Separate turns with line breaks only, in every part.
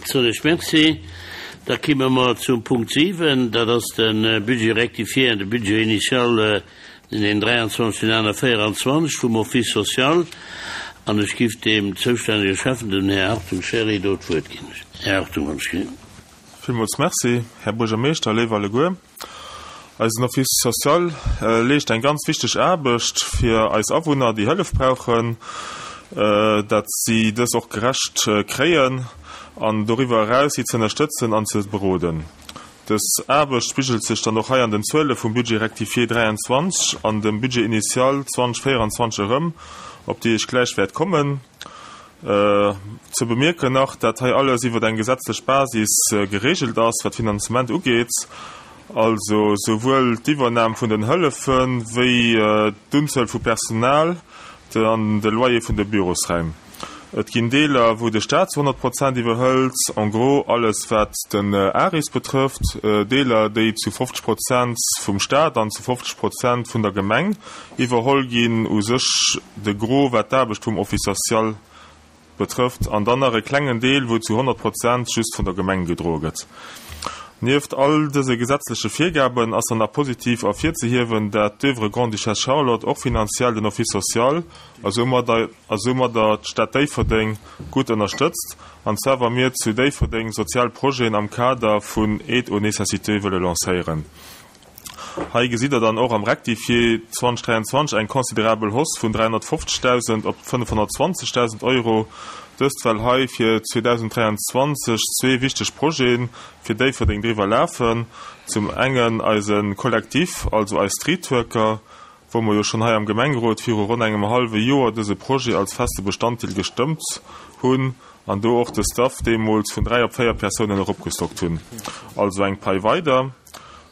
Soen ech Merci. Da kimme mer zum Punkt 7, dat ass de Budget rectifié an de Budget initial den 23 an 24 vum Office social. An ech giff deem zoustännege Schäffen, dem Här Hartung Sherry, do d'Wuert ginn. Här Hartung, wann ech ginn.
Villmools Merci, Här Buergermeeschter, léif alleguer. Eisen Office social leescht eng ganz wichteg Aarbecht fir eis Awunner, déi Hëllef brauchen, dat si dës och gerecht kréien an doriwwer eraus si ze ënnerstëtzen an ze beroden. Dës Aarbecht spigelt sech dann och hei an den Zuele vum Budget rectifié 23 an dem Budget initial 2024 erëm, op déi ech gläich wäert kommen. Ze bemierken nach, dat hei alles iwwer eng gesetzlech Basis geregelt ass, wat d'Finanzement ugeet, also souwuel d'Iwwernam vun den Hëllefe wéi d'Unzuel vu Personal an de Loyer vun de Bürosräim. Et ginn Deeler, wou de Staat zu 100 Prozent iwwerhëlt, en gros alles wat den ARIS betrëfft, Deeler, déi zu 50 Prozent vum Staat an zu 50 Prozent vun der Gemeng iwwerholl ginn, u sech de Gros wat d'Aarbecht vum Office social betrëfft, an dann nach e klengen Deel, wou zu 100 Prozent just vun der Gemeng gedroe gëtt. Nieft all dëse gesetzleche Virgaben ass dann nach positiv ervirzehiewen, dat d'Oeuvre Grande-Duchesse Charlotte och finanziell den Office social a soumadder d'Stad Déifferdeng gutt ënnerstëtzt, an zwar wa mir zu Déifferdeng sozial Projeten am Kader vun Aide aux nécessiteux wëlle lancéieren. Hei gesitt Der dann och am Rectifié 2023 eng considerabel Hausse vun 350.000 op 520.000 Euro, dëst well hei fir 2023 zwee wichteg Projete fir Déifferdeng driwwer lafen, zum engen eise Collectif, also eis Streetworker, wou mer jo schonn hei am Gemengerot viru ronn engem hallwe Joer dëse Projet als feste Bestanddeel gestëmmt hunn an do och de Staff deemools vun dräi op véier Persounen eropgestockt hunn, also eng Pai weider.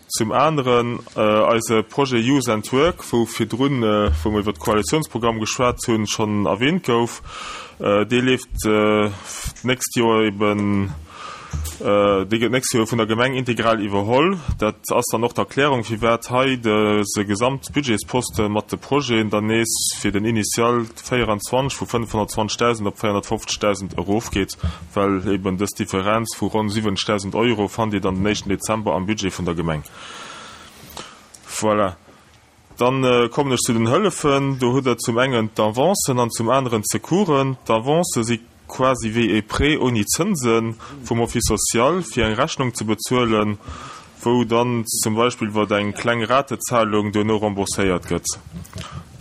Zum aneren eise Projet Youth and Work, wou virdrun, wou mer iwwert de Koalitionsprogramm geschwat hunn, schonn erwähnt gouf. Dee leeft d'nächst Joer eben, dee gëtt d'nächst Joer vun der Gemeng integral iwwerholl. Dat ass dann och d'Erklärung, firwat hei dëse Gesamtbudgetsposte mat de Projeten dann nees fir den Initial 24 vu 520.000 op 450.000 erofgeet. Well eben dës Differenz vu ronn 70.000 Euro fannt Dir dann den éischten Dezember am Budget vun der Gemeng. Voilà. Dann kommen ech zu den Hëllefen. Do hutt Der zum engen d'Avancen an zum aneren d'Secoursen. D'Avancë si quasi wéi e Prêt ouni Zënse vum Office social, fir eng Rechnung ze bezuelen, wou dann zum Beispill iwwer eng kleng Ratezahlung duerno rembourséiert gëtt.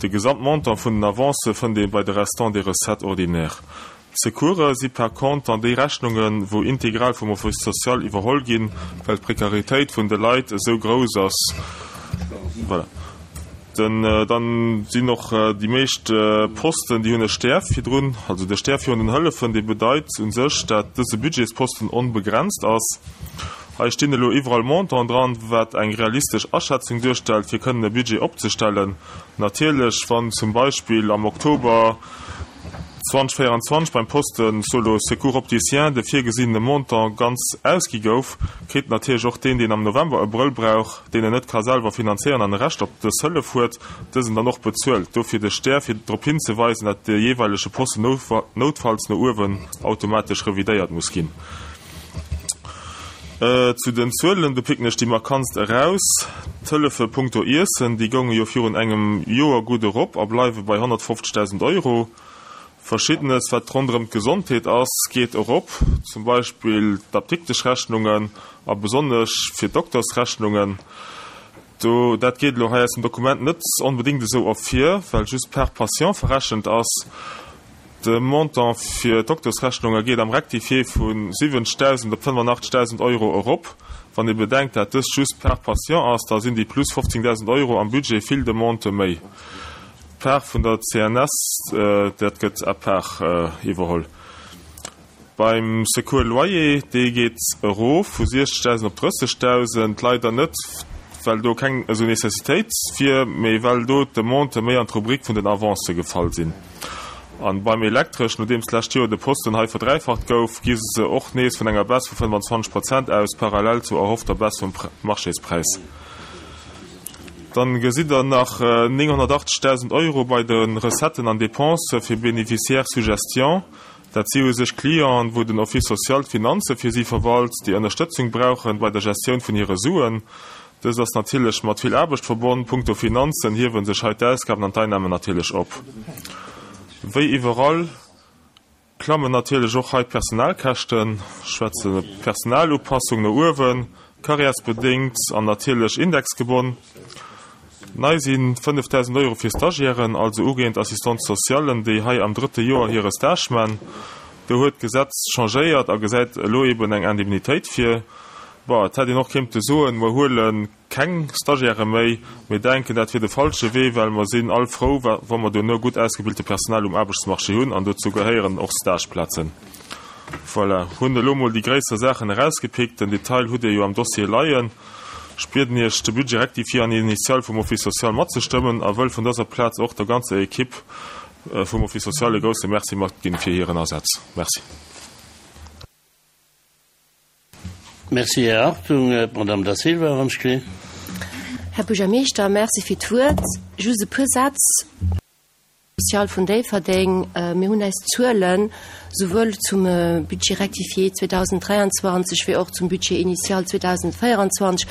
De Gesamtmontant vun den Avancë fënnt ee bei de Restants des recettes ordinaires. D'Secourse si par contre dann déi Rechnungen, wou integral vum Office social iwwerholl ginn, well d'Prekaritéit vun de Leit esou grouss ass. Voilà. Den, dann sinn och déi meescht Posten, déi hunn e Stär virdrun, also de Stär virun den Hëllefen, dee bedeit u sech, dat dëse Budgetsposten onbegrenzt ass. Hei stinn elo iwwerall Montanten dran, wat eng realistesch Aschätzung duerstellt, fir kënnen e Budget opzestellen. Natierlech, wann zum Beispill am Oktober 2024 beim Posten Solo Secours Opticien de virgesinnene Montant ganz ausgi gouf, kritt natierlech och deen, deen am November e Brëll brauch, deen en net ka selwer finanzéieren an e Recht op dës Hëllef huet, dësen dann och bezuelt. Dofir de Stär, fir drop hinzeweisen, dat de jeeweilege Posten noutfalls no uewen automatesch revidéiert muss ginn. Zu den Zuelen, do picken ech déi markantst eraus, D'Hëllefe punkto Iessen, déi gounge jo virun engem Joer gutt erop a bleiwe bei 150.000 Euro. Verschiddenes, wat ronderëm d'Gesondheet ass, geet erop, zum Beispill d'Apdikteschrechnungen a besonnesch fir d'Doktersrechnungen. Do, dat geet elo hei aus dem Dokument net onbedéngt esou ervir, well just par patient verrechent ass. De Montant fir d'Doktersrechnunge geet am Rectifié vu 70.000 op 85.000 Euro erop. Wann ee bedenkt, dat dëst just par patient ass, da sinn déi plus 15.000 Euro am Budget vill Demandë méi. D'Part vun der CNS, dat gëtt à part iwwerholl. Beim Secours loyer, dee geet erof vu 60.000 op 30.000, leider net well do keng esou Necessitéit wier, mee well do d'Demandë méi an d'Rubrik vun den Avancë gefall sinn. An beim Elektresch, nodeems d'lescht Joer de Posten hei verdräifacht gouf, gi se och nees vun enger Baisse vu 25 Prozent aus, parallel zur erhoffter Baisse vum Marchéspräis. Dann gesitt der nach 980.000 Euro bei de Recetten an Dépensë fir Bénéficiaires sous gestion. Dat si u sech Clienten, wou den Office social d'Finanze fir si verwalt, déi Ënnerstëtzung brauchen bei der Gestioun vun hire Suen. Dëst ass natierlech mat vill Aarbecht verbonn. Punkto Finanzen hiewe sech hei d'Ausgaben an d'Einnamen natierlech op. Wéi iwwerall klammen natierlech och hei d'Personalkäschten. Ech schwätze Personalupassung no uewen, karriärsbedéngt an natierlech indexgebonn. Nei si 5.000 Euro fir Stagiairen, also ugehend Assistants socialen, déi hei am drëtte Joer hire Stage man. Do huet d'Gesetz changéiert a gesäit elo eben eng Indemnitéit vir. Bon, et hätt een och kéinte soen, mer huele keng Stagiairë méi. Mir denken, dat wier de falsche Wee, well mer sinn all frou, wa mer duerno gutt ausgebilte Personal um Aarbechtsmarché hunn, an dozou gehéieren och Stageplazen. Voilà, hunn elo mol déi gréisser Saachen erausgepickt. Den Detail hutt Dir jo am Dossier leien. Ech bieden Iech, de Budget rectifié an initial vum Office social matzestëmmen a wëll vun dëser Plaz och der ganzer Equipe vum Office social e grousse Merci matginn fir hiren Asaz. Merci.
Merci, Här Hartung. D'Madame Da Silva, wann ech kritt.
Här Buergermeeschter, Merci fir d'Wuert. Just e puer Sätz. Social vun Déifferdeng. Mir hunn eis Zuelen souwuel zum Budget rectifié 2023 wéi och zum Budget initial 2024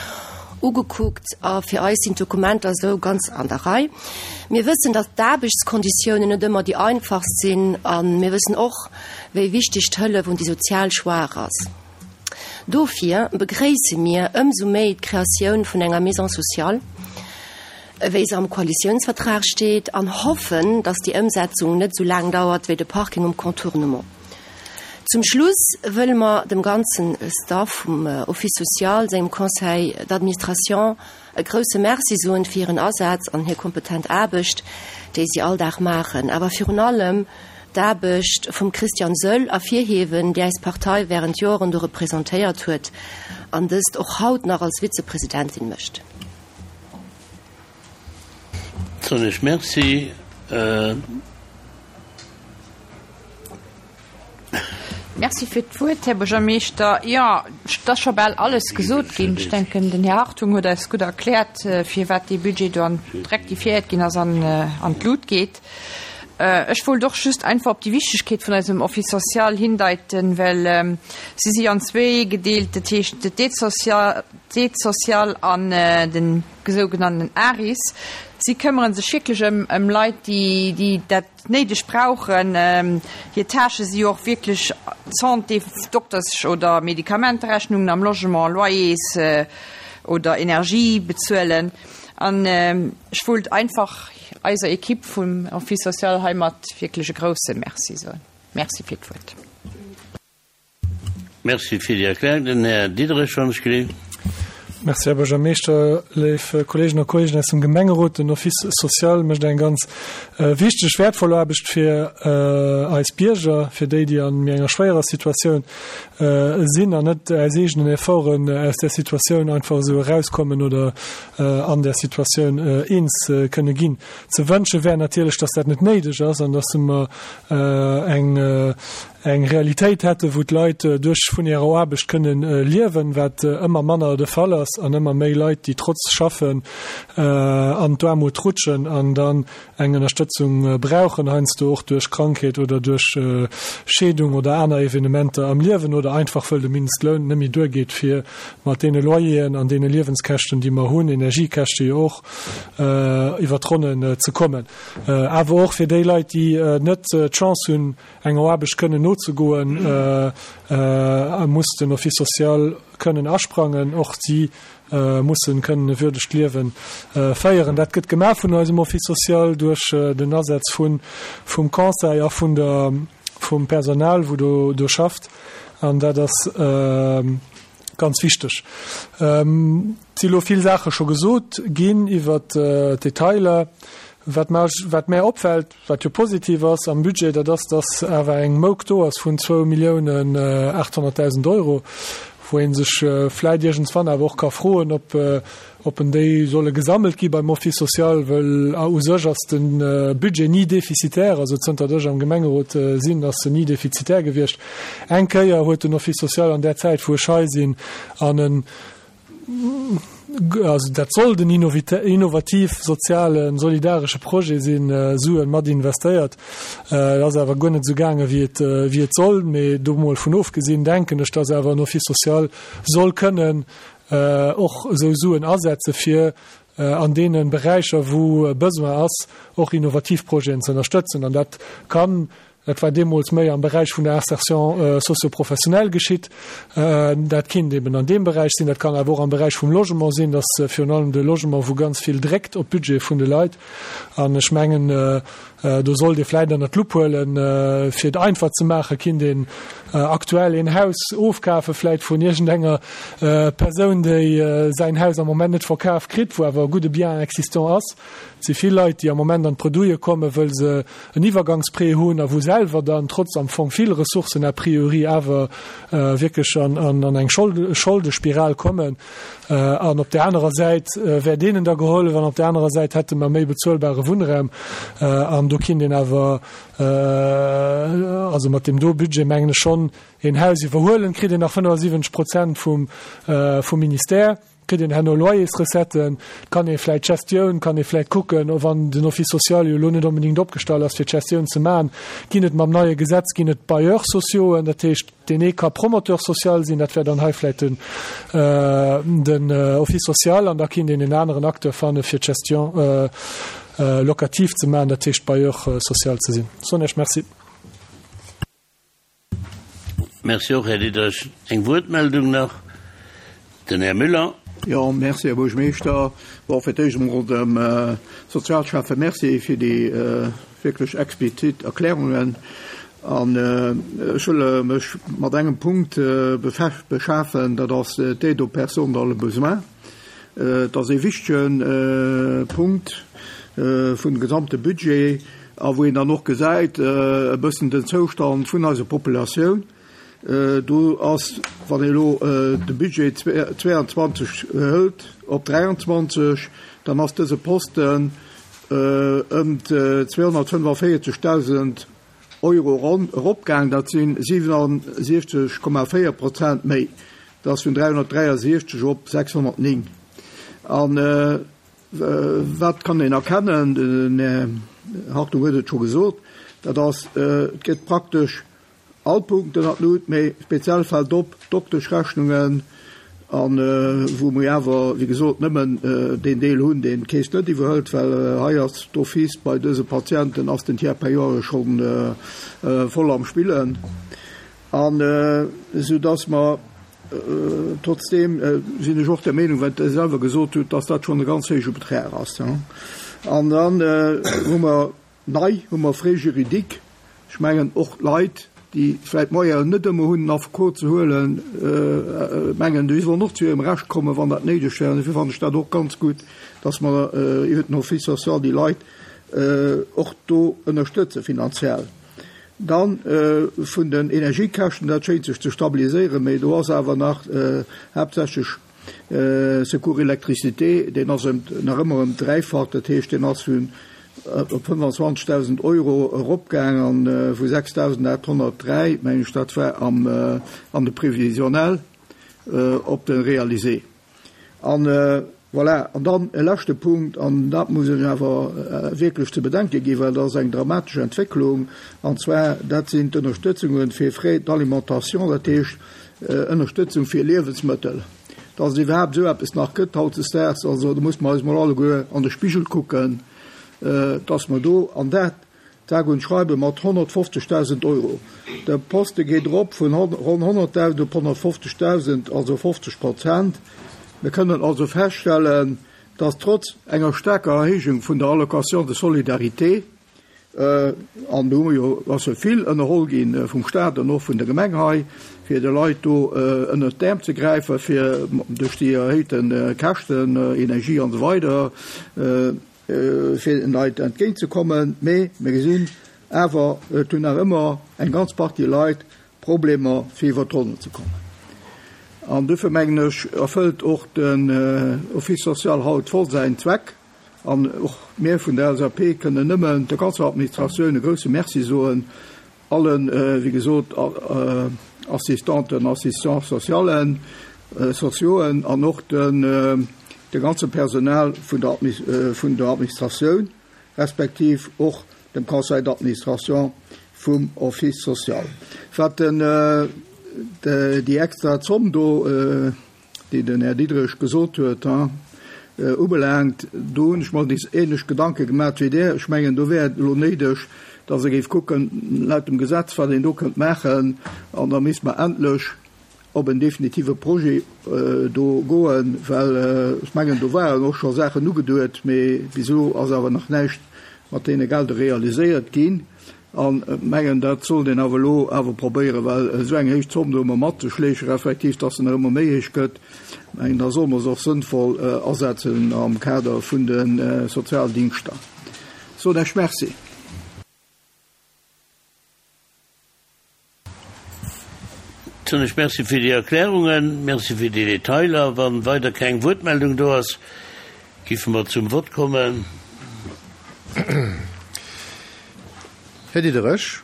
ugekuckt a fir eis sinn d'Dokumenter esou ganz an der Rei. Mir wëssen, datt d'Aarbechtskonditiounen net ëmmer déi einfachst sinn a mir wëssen och, wéi wichteg d'Hëllef un déi sozial Schwaach ass. Dofir begréisse mir ëmsou méi d'Kreatioun vun enger Maison sociale, wéi se am Koalitiounsvertrag steet, an hoffen, dass déi Ëmsetzung net esou laang dauert wéi de Parking um Contournement. Zum Schluss wëlle mer dem ganzen Staff vum Office social, sengem Conseil d'administration e grouse Merci soen fir hiren Asaz an hir kompetent Aarbecht, déi si all Dag maachen, awer virun allem d'Aarbecht vum Christian Söll ervirhiewen, déi eis Partei während Joeren do representéiert huet an dëst och haut nach als Vizepresidentin mécht.
Soen ech Merci.
Merci fir d'Wuert, Här Buergermeeschter. Jo, et ass scho bal alles gesot ginn. Ech denken, den Här Hartung huet eis gutt erkläert, firwat dee Budget do an rectifiéiert ginn ass an an d'Lut geet. Ech wollt och just einfach op déi Wichtigkeet vun eisem Office social hindeiten, well si si an zwéi gedeelt, dat heescht d'Aide sociale, D'Aide sociale an den sougenannten ARIS, si këmmere sech wierklech ëm ëm Leit, déi déi dat néideg brauchen. Hir Tâchë si jo och wierklech Santé, Dokters oder Medikamenterechnungen am Logement, Loyers oder Energie bezuelen. An ech wollt einfach eiser Equipe vum Office social heimat wierklech e grousse Merci soen. Merci fir d'Wuert.
Merci fir déi Erklärung. Den Här Diderich, wann ech gelift.
Merci, Här Buergermeeschter, léif Kolleegen a Kolleegen aus dem Gemengerot. Den Office social mécht eng ganz wichteg, wäertvoll Aarbecht fir eis Bierger, fir déi, déi an méi enger schwéierer Situatioun sinn an net aus eegenen Efforten aus där Situatioun einfach esou erauskommen oder an där Situatioun eens kënne ginn. Ze wënsche wär natierlech, dass dat net néideg ass an dass mer eng eng Realitéit hätten, wou d'Leit duerch vun hirer Aarbecht kënnen liewen, wat ëmmer manner de Fall ass, an ëmmer méi Leit, déi trotz Schaffen an d'Aarmut rutschen an dann eng Ënnerstëtzung brauchen, heiansdo och duerch Krankheet oder duerch Scheedung oder aner Evenementer am Liewen oder einfach wëll de Mindestloun net méi duergeet, fir mat deene Loyeren an deene Liewenskäschten, déi mer hunn, Energiekäschte jo och, iwwer d'Ronnen ze kommen. Awer och fir déi Leit, déi net d'Chance hunn, enger Aarbecht kënnen nozegoen, muss den Office social kënnen asprangen. Och si mussen kënnen e würdegt Liewe féieren. Dat gëtt gemaach vun eisem Office social duerch den Asaz vun vum Conseil a vun der vum Personal, wou do do schafft. An dat ass ganz wichteg. Et si lo vill Saache scho gesot ginn iwwert d'Detailer. Wat mer wat mär opfält, Wat jo positiv ass am Budget, dat ass, dass awer eng Mouk do ass vun 2.800.000 Euro, wou ee sech vläicht iergendswann awer och ka froen, ob, ob en déi solle gesammelt gi beim Office social, well u sech ass de Budget ni defizitär, also zënter ech am Gemengerot sinn, ass en ni defizitär gewiescht. Eng Kéier huet den Office social an där Zäit, wou ech hei sinn, an en. also dat sollt en innovativ, sozialen, solidaresche Projet sinn, Suen mat investéiert. Et ass awer guer net esou gaange wéi et, wéi et soll. Mee do mol vun ofgesinn, denken ech, dass awer en Office social soll kënnen och esou Suen asetze fir an deene Beräicher, wou e Besoin ass, och innovativ Projeten ze ënnerstëtzen. An dat kann, dat war deemools méi am Beräich vun der Insertion socio-professionnelle geschitt, dat kinnt eben an deem Beräich sinn, dat kann awer och am Beräich vum Logement sinn, dass virun allem de Logement, wou ganz vill dréckt op d'Budgete vun de Leit. An ech mengen, do sollt ee vläicht ënnert d'Lupp huelen, fir et einfach ze maachen, kinnt een aktuell een Haus ofkafe vläicht vun iergendenger Persoun, déi säin Haus am Moment net verkaf kritt, wou awer e gudde Bien existant ass. Et si vill Leit, déi am Moment an d'Bredouille kommen, wëll se en Iwwergangsprêt hunn a wou selwer dann trotz am Fong vill Ressourcen a priori awer wierklech an eng Scholdespiral kommen. An op där anerer Säit wär deenen da gehollef an op där anerer Säit hätte mer méi bezuelbare Wunnraum. An do kinnt een awer, also mat deem do Budget mengen ech schonn, een Haus iwwerhuelen, kritt een nach 75 Prozent vum Ministère, kritt een herno Loyersrecetten, kann ee vläicht d'Gestioun, kann ee vläicht kucken, wann den Office social jo elo net onbedéngt opgestallt ass fir d'Gestioun ze maachen, ginn et mam neie Gesetz, ginn et Bailleurs sociauxen, dat heescht, Deen ee ka Promoteur social sinn, dat wär dann hei vläicht den, den Office social, an da kinnt een en aneren Acteur fanne fir d'Gestion locative ze maachen, dat heescht Bailleur social ze sinn. Soen Iech Merci.
Merci och, Här Diderich. Eng Wuertmeldung nach, den Här Müller.
Jo, merci, Här Buergermeeschter. Bon, fir d'éischt emol dem Sozialschäffe Merci fir déi wierklech explizit Erklärungen. An ech wëll mech mat engem Punkt beschafen, dat ass d'Aide aux personnes dans le besoin. Et ass ee wichtege Punkt vun gesamte Budget a wou een dann och gesäit e bëssen den Zoustand vun eiser Populatioun. Do ass, wann ee elo de Budget 22 hëlt op 23, dann ass dëse Posten ëm 245.000 Euro ronn eropgaang. Dat si 67,4 Prozent méi. Dat ass vun 363 op 609. A wat kann een erkennen? Den Här Hartung huet et scho gesot, dat ass, et gëtt praktesch All Punkten an d'Lut, mee speziell fält op d'Dokteschrechnungen, a wou mir awer, wéi gesot, nëmmen deen Deel hunn, deen d'Keess net iwwerhëlt, well hei ass d'office bei dëse Patienten ass den Tiers payant jo scho voll am Spillen, an esou dass mer trotzdeem sinn ech och der Meenung, wat Der selwer gesot hutt, dass dat schonn e ganz héije Betrag ass. An dann hu mer Nei hu mer Frais juridiques. Ech mengen, och d'Leit, déi vläicht d'Moyenen net ëmmer hunn, en Affekot ze huelen, mengen, déi sollen och zu hirem Recht kommen, wann dat néideg wär. An dofir fannen ech dat och ganz gutt, dass mer iwwert den Office social déi Leit och do ënnerstëtze finanziell. Dann vun den Energiekäschten, dat schéint sech ze stabiliséieren, mä do ass awer nach haaptsächlech, Secours électricité, deen ass ëm, nach ëmmer ëm d'Dräifacht, dat heescht, deen ass vun op 25.000 Euro eropgaang an vu 6.803, meng ech, dat war am an de Prévisionnel, op de Réalisé. An voilà, an dann e leschte Punkt, an dat muss ech awer wierklech ze bedenke ginn, well dat ass eng dramatesch Entwécklung, an zwar dat sinn d'Ënnerstëtzunge fir Frais d'alimentation, dat heescht, Ënnerstëtzung fir Liewensmëttel, dass et iwwerhaapt esou eppes nach gëtt hautdesdaags, also do muss mer eis mol alleguer an de Spigel kucken, dass mer do, an dat sage und schreibe mat 150.000 Euro, de Poste geet erop vun ronn 100.000 op 150.000, also 50 Prozent. Mir kënnen also feststellen, dass trotz enger staarker Erhéijung vun der Allocation de solidarité, An do hu mer jo, ass jo vill ënnerholl gi vum Stat an och vun der Gemeng hei, fir de Leit do ënnert d'Äerm ze gräifen, fir duerch déi erhéijte Käschten, Energie an esou weider, fir den Leit entgéintzekommen. Mee mir gesinn awer, et hunn nach ëmmer eng ganz Partie Leit Problemer, fir iwwert d'Ronnen ze kommen. An dofir mengen ech, erfëllt och den Office social haut voll säin Zweck. An och mir vun der LSAP kënnen nëmmen der ganzer Administratioun e grouse Merci soen, allen, wéi gesot, Assistanten, Assistants socialen, sociauxen an och de. de ganze Personal vun der vun der Administratioun respektiv och dem Conseil d'administration vum Office social. Wat den déi extra Zomm do, déi den Här Diderich gesot huet, ubelaangt, do hunn ech mer déi ähnlech Gedanke gemat wéi Der. Ech mengen, do wär et elo néideg, dass ee géif kucken, laut dem Gesetz, wat een do kënnt maachen, an da misst mer endlech op en definitive Projet do goen, well ech mengen, do waren och scho Saachen ugeduet, mee bis elo ass awer nach näischt mat deene Gelder realiséiert ginn. An ech mengen, dat sollt een awer elo awer probéieren, well esou eng héich Zomm do ëmmer matzeschleechen, respektiv dass se nach ëmmer méi héich gëtt, mengen, da solle mer se och sënnvoll asetzen am Kader vun de Sozialdingschter. Soen Iech Merci.
Soen ech Merci fir déi Erklärungen, Merci fir déi Detailer. Wa weider keng Wuertmeldung do ass, giffe mer zum Vott kommen.
Här Diderich.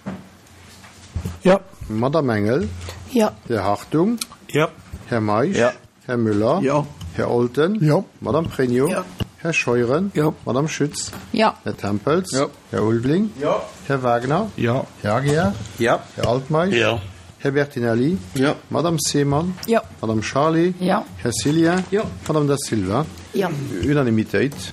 Jo.
Madamm Engel.
Jo.
Här Hartung.
Jo.
Här Meisch.
Jo.
Här Müller.
Jo.
Här Olten.
Jo.
Madame Pregno.
Jo.
Här Scheuren.
Jo.
Madame Schütz.
Jo.
Här Tempels.
Jo.
Här Ulveling.
Jo.
Här Wagner.
Jo.
Här Aguiar.
Jo.
Här Altmeisch.
Jo.
Här Bertinelli.
Jo.
Madame Seemann.
Jo.
Madame Charlé.
Jo.
Här Cillien.
Jo.
Madame Da Silva.
Jo.
Unanimitéit.